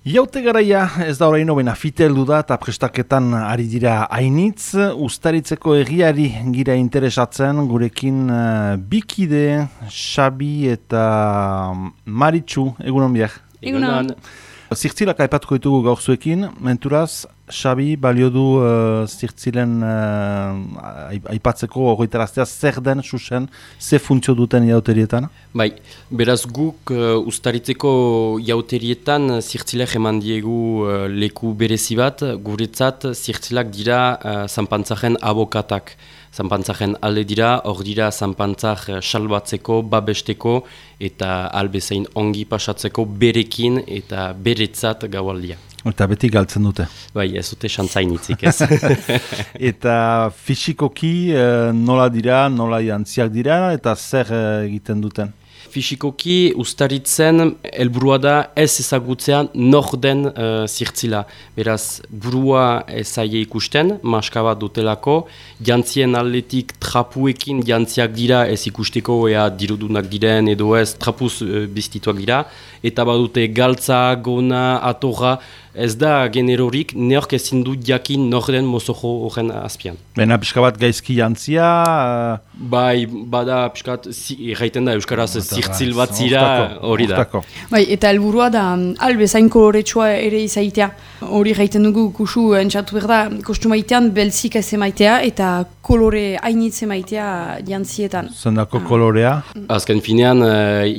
Jaute garaia ez da oraino bena fiteldu da eta prestaketan ari dira hainitz, Uztaritzeko egiari gira interesatzen gurekin bikide, Xabi eta Maritxu, egunon biak. Egunon. Zirtzilak aipatuko ditugu gaur zuekin, menturaz, Xabi balio du zirtzilen aipatzeko ogoitaraztea zer den, susen, ze funtzio duten jauterietan? Bai, beraz guk Uztaritzeko jauterietan zirtzilek eman diegu leku berezi bat, guretzat zirtzilak dira zanpantzaren abokatak. Zanpantzaren alde dira, hor dira zanpantzak salbatzeko, babesteko eta albezain ongi pasatzeko berekin eta beretzat gaualdia. Eta beti galtzen dute. Bai, ez dute xantzainitzik ez. Eta fisikoki nola dira, nola jantziak dira eta zer egiten duten? Fisikoki Uztaritzen helburua da ez ezagutzea nor den zirtzila. Beraz, burua ezaie ikusten, maska bat dutelako, jantzien aldetik trapuekin jantziak dira ez ikusteko ea dirudunak diren edo ez trapuz biztituak dira, eta badute galtza, gona, atorra, ez da generorik, neork ezin du jakin nor den mozojo horren azpian. Bena pixka bat gaizki jantzia? Bai, bada pixka bat, erraiten da Euskaraz zirtzil bat zira, hori da. Bai, eta helburua da albezain koloretsua ere izaitea. Hori gaiten dugu kusu entzatu behar da, kostumaitean belzik ez emaitea eta kolore hainitz emaitea jantzietan. Zendako kolorea? Azken finean,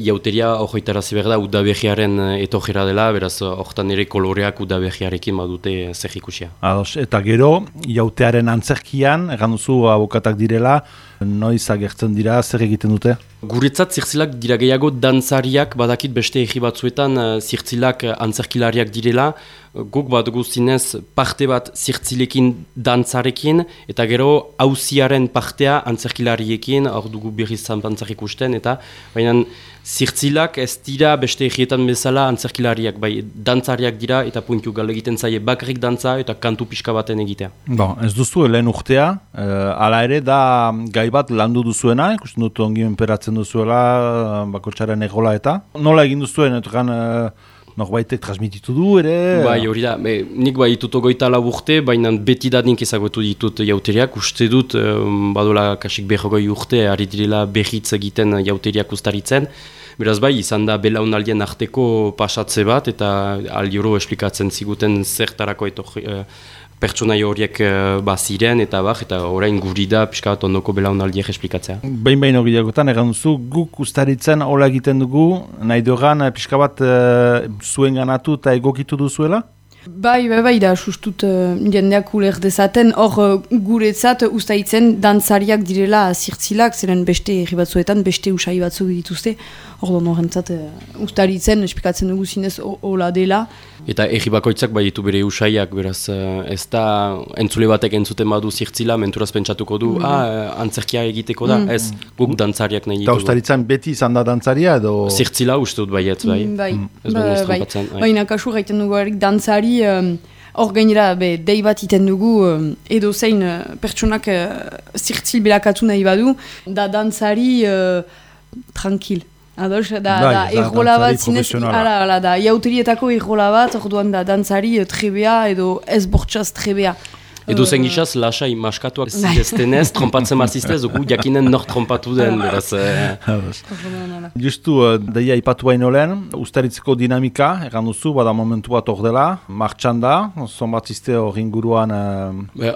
jauteria horretarazi behar da udabehiaren etojera dela, beraz horretan ere koloreak udabehiarekin badute zer ikusia. Ados, eta gero, jautearen antzerkian, egan duzu abokatak direla, noiz agertzen dira, zer egiten dute? Guretzat zirtzilak dira gehiago dantzariak, badakit beste egi batzuetan zirtzilak antzerkilariak direla, guk bat guztinez parte bat zirtzilekin dantzarekin, eta gero auziaren partea antzerkilariekin, hor dugu berriz zanpantzak ikusten, eta baina zirtzilak ez dira beste egietan bezala antzerkilariak, bai dantzariak dira, eta puntu gal egiten zaie bakarrik dantza eta kantu pixka baten egitea. Bon, ez duzu lehen urtea, hala ere da gai bat landu duzuena, ikusten dut ongi menperatzen duzuela, bakotxaren egola eta. Nola egin duzuen, norbaitek transmititu du ere? Bai, hori da, nik bai ditut 24 urte, baina beti da nik ezagutu ditut jauteriak, uste dut, badola kasik 40 urte, ari direla berritz egiten jauteriak Uztaritzen. Beraz bai, izan da belaunaldien arteko pasatze bat, eta aldioro esplikatzen ziguten zertarako pertsonai horiek baziren, eta orain guri da pixka bat ondoko belaunaldiek esplikatzea. Behin horiagotan, egan duzu, guk Uztaritzen hola egiten dugu, nahi dugan pixka bat zuen ganatu eta egokitu duzuela? Bai, da, sustut jendeak uler dezaten, hor guretzat Uztaritzen dantzariak direla zirtzilak, zeren beste herri batzuetan, beste usai batzuk dituzte, hor horrentzat Uztaritzen esplikatzen dugu zinez hola dela. Eta herri bakoitzak bai ditu bere usaiak, beraz ez da entzule batek entzuten badu zirtzila, menturaz pentsatuko du, antzerkia egiteko da, ez guk dantzariak nahi ditugu. Eta Uztaritzen beti izan da dantzaria edo? Zirtzila uste dut baietz, bai. Baina kasu gaiten dugu erik dantzari, hor gainera dei bat iten dugu edo zein pertsonak zirtzil belakatu nahi badu, da dantzari tranquil. Ados, da errola bat zinez, da jauterietako errola bat, orduan da dantzari trebea edo ez bortxaz trebea. Edo zen gizaz, lasai maskatuak ziztenez, trompatzen maziztez, gu jakinen nor trompatu den, beraz. Justu, deia ipatu baino lehen, Uztaritzeko dinamika, egan duzu, bada momentu bat hor dela, martxan da, zonbatzizte hor inguruan...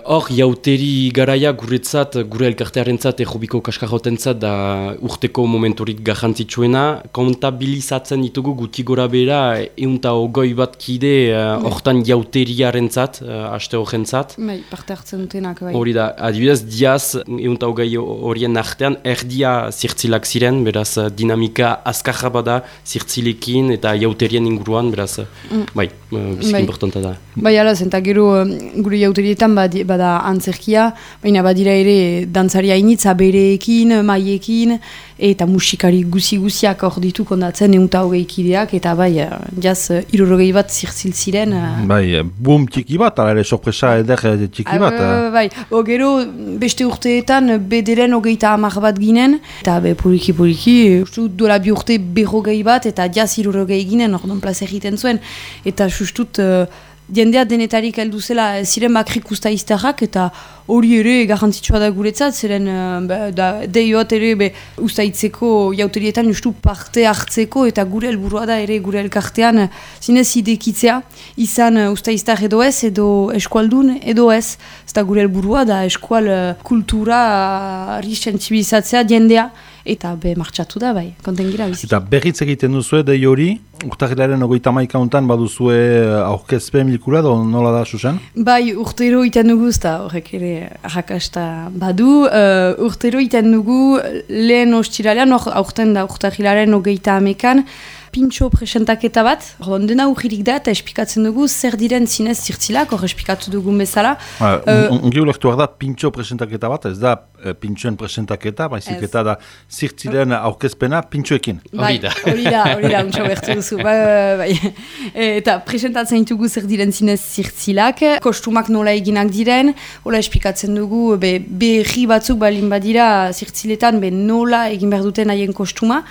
Hor, jauteri garaia guretzat, gure elkartearentzat, errobiko kaskarrotentzat, da urteko momenturik garrantzitsuena, kontabilizatzen ditugu guti gora bera, 120 bat kide hortan jauteriarentzat, aste horrentzat. Parte hartzen dutenak, bai. Hori da, adibidez, diaz, 120 horien artean, erdia zirtzilak ziren, beraz, dinamika azkarra bada zirtzilekin eta jauterien inguruan, beraz, bai, biziki importanta da. Bai, alaz, eta gero gure jauterietan bada antzerkia, baina badira ere dantzaria initza bereekin, maiekin, eta musikari guzi-guziak hor ditu kondatzen 120 kideak, eta bai, jaz, 60 bat zirtzil ziren. Bai, boom txiki bat, ala ere sorpresa eder talde txiki bat. Bai, gero beste urteetan bederen 30 bat ginen, eta poliki, duela 2 urte 40 bat, eta jaz 60 ginen, ordon plaza egiten zuen, eta justut jendea denetarik heldu zela ziren bakrik usta izterrak, eta hori ere garrantzitsua da guretzat, ziren deioat ere ustaitzeko jauterietan justu parte hartzeko, eta gure helburua da ere gure elkartean zinez idekitzea, izan ustaiztar edo ez, edo eskualdun edo ez, ez da gure helburua da eskual kultura sentsibilizatzea jendea, eta martxatu da, bai, konten gira biziki. Eta berritz egiten duzue, dei hori, urtarrilaren 31 untan baduzue aurkezpen bilkura, nola da, Susan? Bai, urtero iten dugu, eta horrek ere arrakasta badu, urtero iten dugu lehen ostiralean, aurten da urtarrilaren 31an, pintxo presentaketa bat, dena urririk da, eta espikatzen dugu zer diren zinez zirtzilak, hor espikatu dugun bezala. Ongi ulektu da pintxo presentaketa bat, ez da pintxoen presentaketa, baizik eta da zirtzilen aurkezpena pintxoekin. Hori da, untxo bertu duzu. Bai. Eta presentatzen ditugu zer diren zinez zirtzilak, kostumak nola eginak diren, hola espikatzen dugu berri batzuk balin badira zirtziletan nola egin behar duten haien kostuma,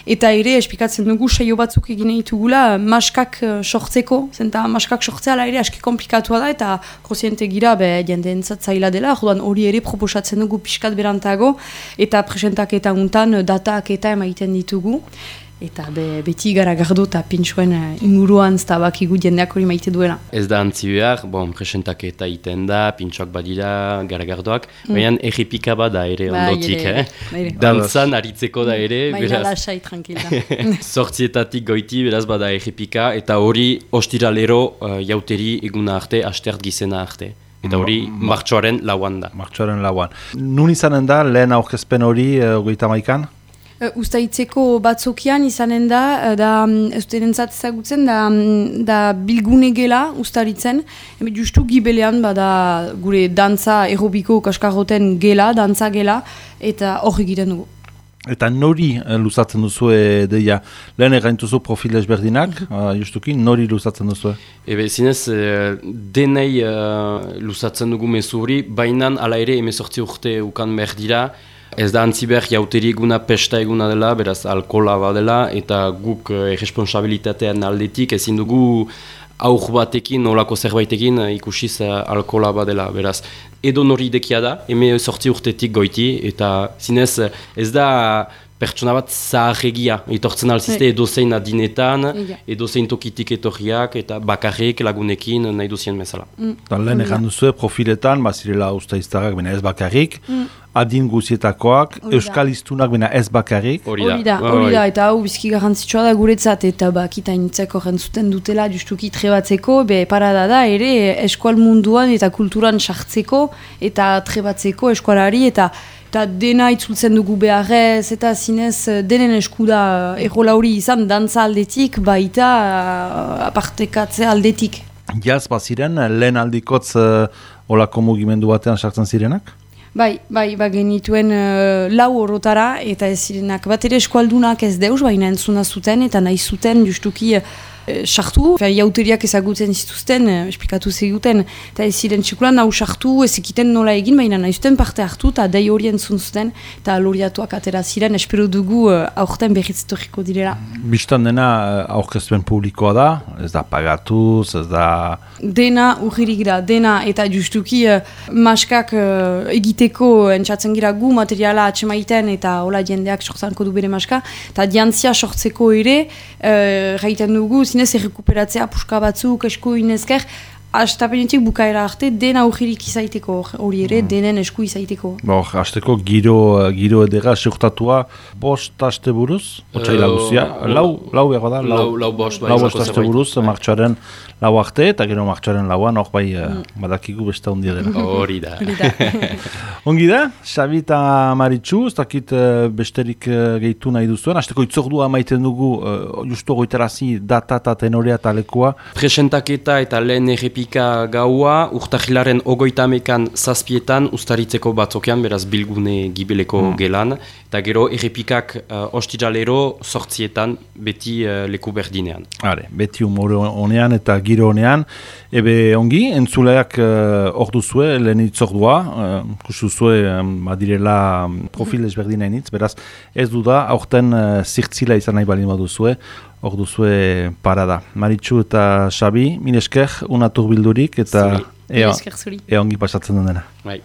eta ere espikatzen dugu saio batzuk egin ditugula maskak sortzeko, zenta maskak sortzea ere aski komplikatua da, eta koziente gira jendeentzat zaila dela, hori ere proposatzen dugu pixkat berantago, eta presentaketa untan datak eta emaiten ditugu. Eta beti garagardo eta pintxoen inguruan ztabakigu jendeak hori maite duela. Ez da antzi behar, presentaketa iten da, pintxoak badira, garagardoak, baina errepika bada ere ondotik, dantzan aritzeko da ere, baina lasai, tranquila. Zortzietatik goiti, beraz bada errepika, eta hori ostiralero jauteri eguna arte, astert gizena arte. Eta hori martxoaren lauan da. Martxoaren lauan. Nun izanen da, lehen aurkezpen hori 31an? Ustaitzeko batzokian izanen da eustenentzat ezagutzen, da bilgune gela ustaritzen, justu gibelean bada gure dantza aerobiko kaskarroten gela, dantza gela, eta hor egiten dugu. Eta nori luzatzen duzu deia, lehen erraintuzu profil ezberdinak, justuki, nori luzatzen duzu? Zinez, denei luzatzen dugu mezuri, bainan ala ere 18 urte ukan behar dira. Ez da antzi behar jauteri eguna pesta eguna dela, beraz alkohola badela, eta guk irresponsabilitatean aldetik ezin dugu aur batekin, nolako zerbaitekin ikusiz alkohola badela, beraz edo nori dekia da, 18 urtetik goiti, eta zinez ez da pertsona bat zaharregia, etortzen alzizte edozein adinetan, edozein tokitik etorriak, eta bakarrik lagunekin nahi duzien bezala. Lehen egan duzu, profiletan, bazirela ustaiztarrak, bena ez bakarrik, adin guzietakoak, euskal iztunak, bena ez bakarrik. Hori da, eta hau bizki garrantzitsua da guretzat, eta bakitainitzeko rentzuten dutela justuki trebatzeko, parada da ere eskual munduan eta kulturan sartzeko, eta trebatzeko eskualari, eta dena itzultzen dugu beharrez, eta zinez denen eskuda errola hori izan dantza aldetik, baita apartekatze aldetik. Jaz baziren, lehen aldikotz olako mugimendu batean sartzen zirenak? Bai, genituen lau horotara, eta ez zirenak bat ere eskualdunak ez deus, baina entzuna zuten, eta nahi zuten justuki sartu, jauteriak ezagutzen zituzten, esplikatu zeguten, eta ez ziren txikulan hau sartu, ez ekiten nola egin, baina nahi zuten parte hartu, eta dei hori entzun zuten, eta loriatuak atera ziren, espero dugu aurten berriz etorriko direla. Bistan dena aurkezpen publikoa da, ez da pagatuz, ez da... Dena urririk da, dena, eta justuki maskak egiteko entzatzen gira gu materiala atxemaiten, eta hola jendeak sortzanko du bere maska, eta diantzia sortzeko ere, gaiten dugu, zinez errekuperatzea puska batzuk, esku inezker, astapenetik bukaera arte, dena urririk izaiteko, hori ere, denen esku izaiteko. Hasteko giro edera seurtatua, 5 aste buruz, otsaila guzia, lau behar da? Lau bost aste buruz, martxoaren lau arte, eta gero martxoaren lauan, hor bai badakigu besta ondia dela. Hori da. Ongi da, Xabi eta Maritxu, ez dakit besterik gehitu nahi duzuen, hasteko itzordua maiten dugu, justu goitarazi data eta tenorea eta lekua. Presentaketa eta lehen errepi 11 gaua, urtahilaren 30 zazpietan ustaritzeko batzokean, beraz bilgune gibeleko gelan, eta gero errepikak ostijalero 8 beti leku berdinean. Beti humore honean eta giro honean, ebe ongi, entzuleak hor duzue, lehen itzordua, kusuzue badirela profil ezberdina initz, beraz ez duda, aurten zirtzila izan nahi balin baduzue, hor duzue parada. Maritxu eta Xabi, mil esker, unatur bildurik, eta ea ongi pasatzen den dena. Bai,